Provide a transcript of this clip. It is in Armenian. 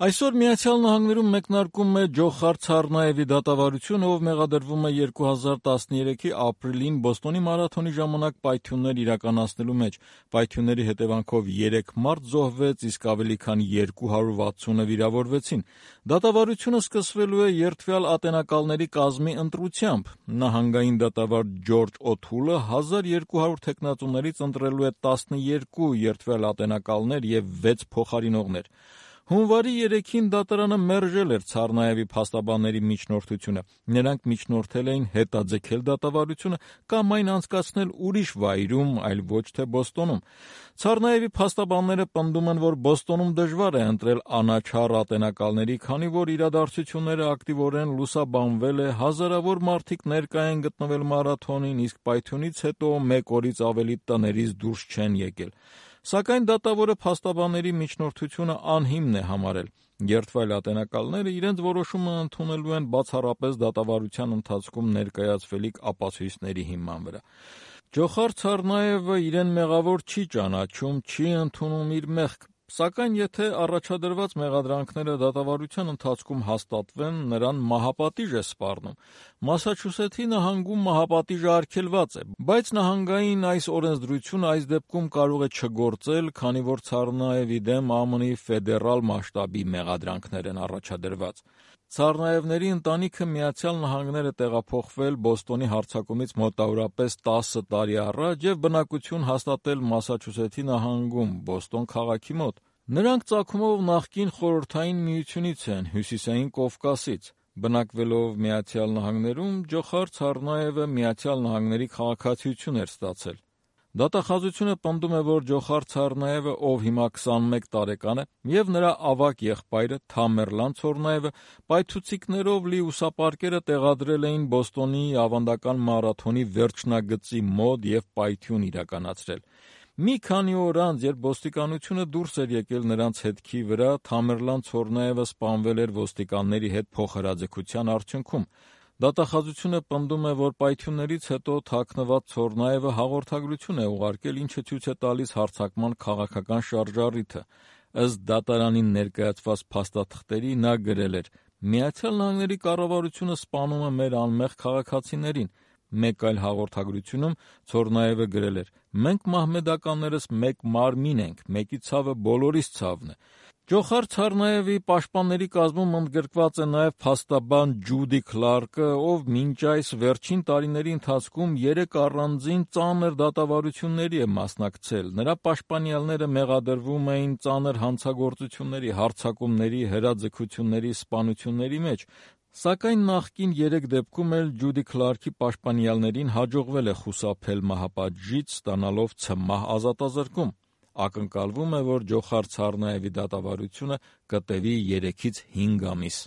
Այսօր Միացյալ Նահանգներում մեկնարկում է Ջոխար Ցառնաևի դատավարությունը, ով մեղադրվում է 2013-ի ապրիլին Բոստոնի մարաթոնի ժամանակ պայթյուններ իրականացնելու մեջ։ Պայթյունների հետևանքով 3 մարդ զոհվեց, իսկ ավելի քան 260-ը վիրավորվեցին։ Դատավարությունը սկսվելու է երդվյալ ատենակալների կազմի ընտրությամբ։ Նահանգային դատավար Ջորջ Օթուլը 1200 թեկնածուներից ընտրելու է 12 երդվյալ ատենակալներ և 6 փոխարինողներ։ Հունվարի 3-ին դատարանը մերժել էր Ցառնաևի փաստաբանների միջնորդությունը։ Նրանք միջնորդել էին հետաձգել դատավարությունը կամ այն անցկացնել ուրիշ վայրում, այլ ոչ թե Բոստոնում։ Ցառնաևի փաստաբանները պնդում են, որ Բոստոնում դժվար է ընտրել անաչառ ատենակալների, քանի որ իրադարձությունները ակտիվորեն լուսաբանվել է, հազարավոր մարդիկ ներկա են գտնվել մարաթոնին, իսկ պայթյունից հետո մեկ օրից ավելի տներից դուրս չեն եկել։ Սակայն դատավորը փաստաբանների միջնորդությունը անհիմն է համարել։ Երդվայլ ատենակալները իրենց որոշումը ընդունելու են բացառապես դատավարության ընթացքում ներկայացվելիք ապացույցների հիման վրա։ Ջոխար Ցառնաևը իրեն մեղավոր չի ճանաչում, չի ընդունում իր մեղք, սակայն եթե առաջադրված մեղադրանքները դատավարության ընթացքում հաստատվեն, նրան մահապատիժ է սպառնում։ Մասաչուսեթի նահանգում մահապատիժը արգելված է, բայց նահանգային այս օրենսդրությունը այս դեպքում կարող է չգործել, քանի որ Ցառնաևի դեմ ԱՄՆ-ի ֆեդերալ մասշտաբի մեղադրանքներ են առաջադրված։ Ցառնաևների ընտանիքը Միացյալ Նահանգներ է տեղափոխվել Բոստոնի հարձակումից մոտավորապես 10 տարի առաջ և բնակություն հաստատել Մասաչուսեթի նահանգում, Բոստոն քաղաքի մոտ։ Նրանք ծագումով նախկին Խորհրդային Միությունից են, Հյուսիսային Կովկասից։ Բնակվելով Միացյալ Նահանգներում, Ջոխար Ցառնաևը Միացյալ Նահանգների քաղաքացիություն էր ստացել։ Դատախազությունը պնդում է, որ Ջոխար Ցառնաևը, ով հիմա 21 տարեկան է, և նրա ավագ եղբայրը Թամերլան Ցառնաևը պայթուցիկներով լի ուսապարկերը տեղադրել էին Բոստոնի ավանդական մարաթոնի վերջնագծի մոտ և պայթյուն իրականացրել։ Մի քանի օր անց, երբ ոստիկանությունը դուրս էր եկել նրանց հետքի վրա, Թամերլան Ցառնաևը սպանվել էր ոստիկանների հետ փոխհրաձգության արդյունքում։ Դատախազությունը պնդում է, որ պայթյուններից հետո թաքնված Ցառնաևը հաղորդագրություն է ուղարկել, ինչը ցույց է տալիս հարձակման քաղաքական շարժառիթը։ Ըստ դատարանին ներկայացված փաստաթղթերի նա գրել էր. «Միացյալ Նահանգների կառավարությունը սպանում է մեր անմեղ քաղաքացիներին»։ Մեկ այլ հաղորդագրությունում Ցառնաևը գրել էր. «Մենք մահմեդականներս մեկ մարմին ենք, մեկի ցավը բոլորիս ցավն է»։ Ջոխար Ցառնաևի պաշտպանների կազմում ընդգրկված է նաև փաստաբան Ջուդի Քլարկը, ով մինչ այս վերջին տարիների ընթացքում 3 առանձին ծանր դատավարությունների է մասնակցել։ Նրա պաշտպանյալները մեղադրվում էին ծանր հանցագործությունների, հարձակումների, հրաձգությունների, սպանությունների մեջ։ Սակայն նախկին 3 դեպքում էլ Ջուդի Քլարկի պաշտպանյալներին հաջողվել է խուսափել մահապատժից, ստանալով ցմահ ազատազրկում։ Ակնկալվում է, որ Ջոխար Ցառնաևի դատավարությունը կտևի 3-ից 5 ամիս։